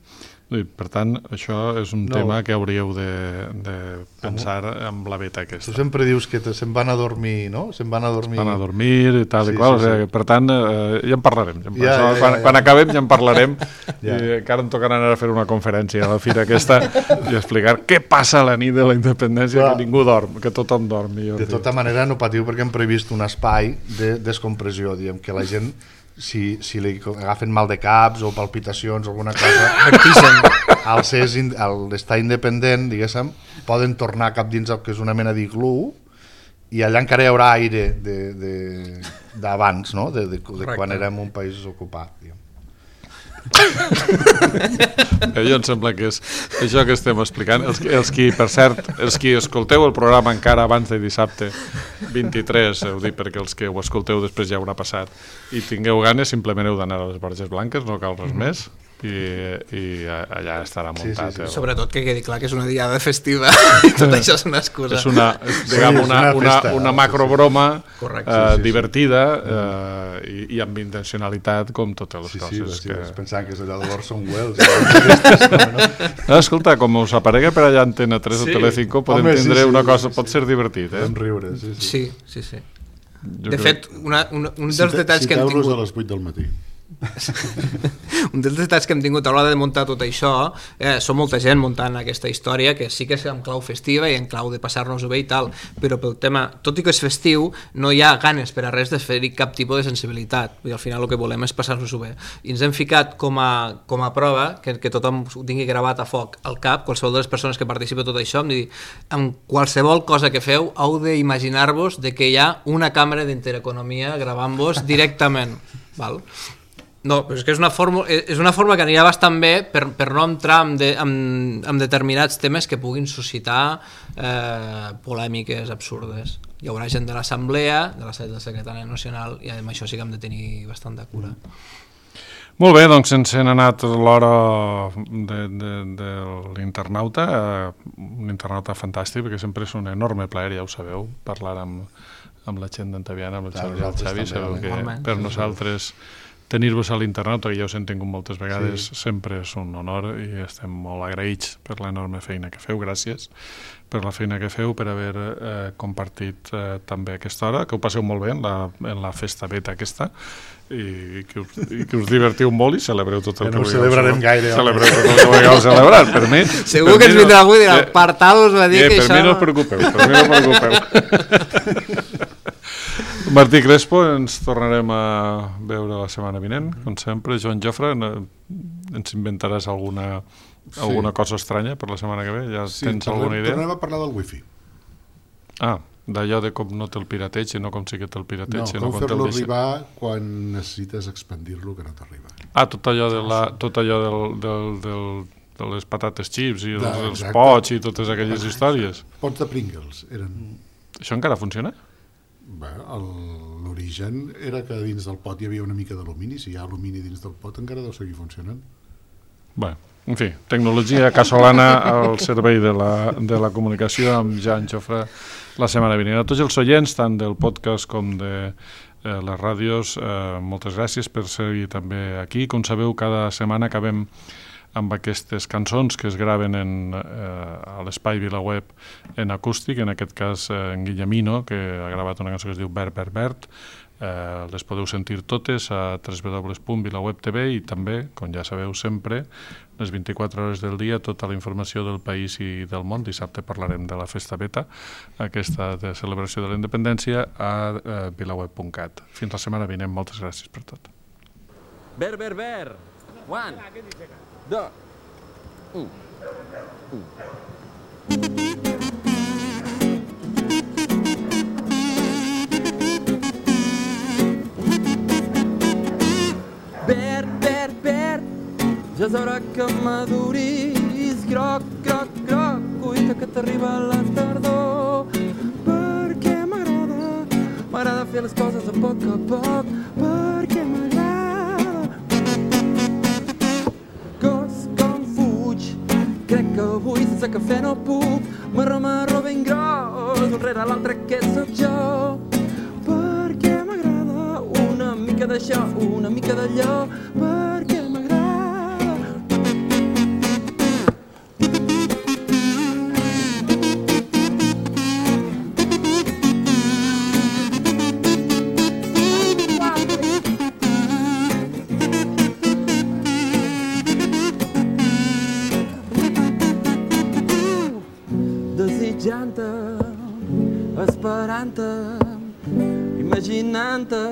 Per tant, això és un tema que hauríeu de pensar amb la beta aquesta. Tu sempre dius que se'n van a dormir, no? Se'n van a dormir i tal i qual. Per tant, ja en parlarem. Quan acabem ja en parlarem. I encara em tocarà anar a fer una conferència a la fira aquesta i explicar què passa a la nit de la independència, que ningú dorm, que tothom dormi. De tota manera no patiu perquè hem previst un espai de descompressió, diguem, que la gent... Si li agafen mal de caps o palpitacions o alguna cosa, al estar independent, diguéssim, poden tornar cap dins el que és una mena d'iglú, i allà encara hi haurà aire d'abans, no? de quan érem un país ocupat. Jo em sembla que és això que estem explicant. Els qui, per cert, els qui escolteu el programa encara abans de dissabte 23, ho dic perquè els que ho escolteu després ja haurà passat, i tingueu ganes, simplement heu d'anar a les Borges Blanques, no cal res més, i allà estarà muntat. Sí. Sobretot que quedi clar que és una diada festiva i tot això és una excusa. És una macrobroma divertida i amb intencionalitat com totes les coses. Sí, pensant que és allò de l'Orson Welles. Escolta, com us aparega per allà Antena 3 o Telecinco, podem tindre una cosa, pot ser divertit. Podem riure, sí. De fet, un dels detalls que hem tingut... 7 euros a les 8 del matí. Un dels detalls que hem tingut a l'hora de muntar tot això, som molta gent muntant aquesta història, que sí que és en clau festiva i en clau de passar-nos-ho bé i tal, però pel tema, tot i que és festiu, no hi ha ganes per a res de fer-hi cap tipus de sensibilitat, i al final el que volem és passar-nos-ho bé, i ens hem ficat com a prova, que tothom ho tingui gravat a foc al cap, qualsevol de les persones que participen tot això, amb qualsevol cosa que feu heu d'imaginar-vos que hi ha una càmera d'Intereconomia gravant-vos directament, val? No, però és que és una forma que anirà bastant bé per no entrar en determinats temes que puguin suscitar polèmiques absurdes. Hi haurà gent de l'Assemblea, de la Secretària Nacional, i amb això sí que hem de tenir bastant de cura. Molt bé, doncs ens hem anat l'hora de l'internauta, un internauta fantàstic, perquè sempre és un enorme plaer, ja ho sabeu, parlar amb la gent d'Antaviana, amb el Xavi i el Xavi, sabeu que per nosaltres tenir-vos a l'internauta, que ja us hem tingut moltes vegades, sempre és un honor i estem molt agraïts per l'enorme feina que feu, gràcies per la feina que feu, per haver compartit també aquesta hora, que ho passeu molt bé en la festa beta aquesta, i que us divertiu molt i celebreu tot el que vulgueu. No ho celebrarem gaire. Celebreu tot el que vulgueu celebrar, per mi. Segur que ens vindrà algú i dirà, Partados va dir que això... Per mi no us preocupeu, Martí Crespo, ens tornarem a veure la setmana vinent, com sempre. Joan Jofre, ens inventaràs alguna cosa estranya per la setmana que ve? Ja tens alguna idea? Tornem a parlar del wifi. D'allò de com no té el pirateig i no com sí que té el pirateig. No, com fer-lo arribar quan necessites expandir-lo que no t'arriba. Tot allò de les patates xips i els pots i totes aquelles històries. Pots de Pringles eren... Això encara funciona? L'origen era que dins del pot hi havia una mica d'alumini. Si hi ha alumini dins del pot encara deu seguir funcionant. Bé, en fi, tecnologia casolana al servei de la comunicació amb Joan Jofre la setmana vinent. A tots els oients, tant del podcast com de les ràdios, moltes gràcies per ser també aquí. Com sabeu, cada setmana acabem amb aquestes cançons que es graven a l'espai VilaWeb en acústic, en aquest cas en Guillemino, que ha gravat una cançó que es diu Verd, Verd, Verd. Les podeu sentir totes a www.vilaweb.tv i també, com ja sabeu sempre, les 24 hores del dia, tota la informació del país i del món. Dissabte parlarem de la Festa Beta, aquesta de celebració de la independència, a vilaweb.cat. Fins la setmana vinent, moltes gràcies per tot. Verd, verd, verd! 1, 2, 1. Verd, verd, verd, ja és hora que maduris. Groc, groc, groc, cuita que t'arriba la tardor. Perquè m'agrada fer les coses a poc, perquè m'agrada. Crec que avui sense cafè no puc, m'arremarro ben gros, un rere l'altre que sóc jo. Perquè m'agrada una mica d'això, una mica d'allò, perquè m'agrada. Desitjant-te, esperant-te, imaginant-te,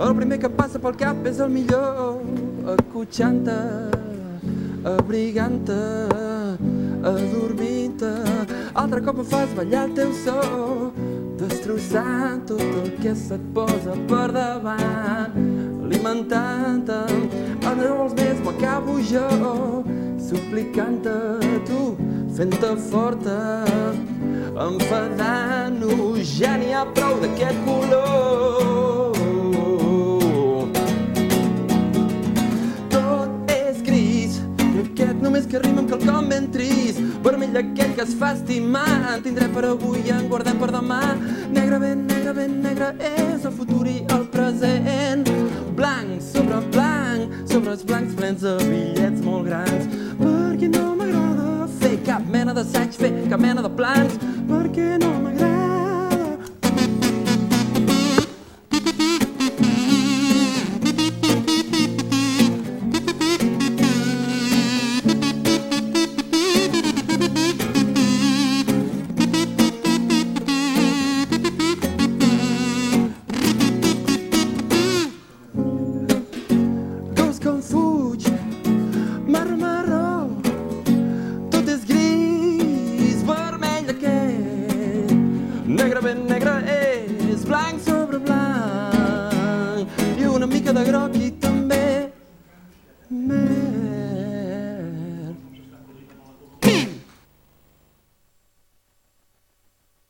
el primer que passa pel cap és el millor, acotxant-te, abrigant-te, adormint-te, altre cop em fas ballar el teu so, destrossant tot el que se't posa per davant, alimentant-te no vols més, m'ho acabo jo, suplicant-te a tu, fent-te forta, enfadant-nos, ja n'hi ha prou d'aquest color. Tot és gris, aquest només que rima amb quelcom ben trist, vermell aquell que es fa estimar, en tindrem per avui i en guardem per demà. Negre, ben negre és el futur i el present, blanc sobre els blancs plens de bitllets molt grans, perquè no m'agrada fer cap mena d'assaig, fer cap mena de plans, perquè no m'agrada. Negre és blanc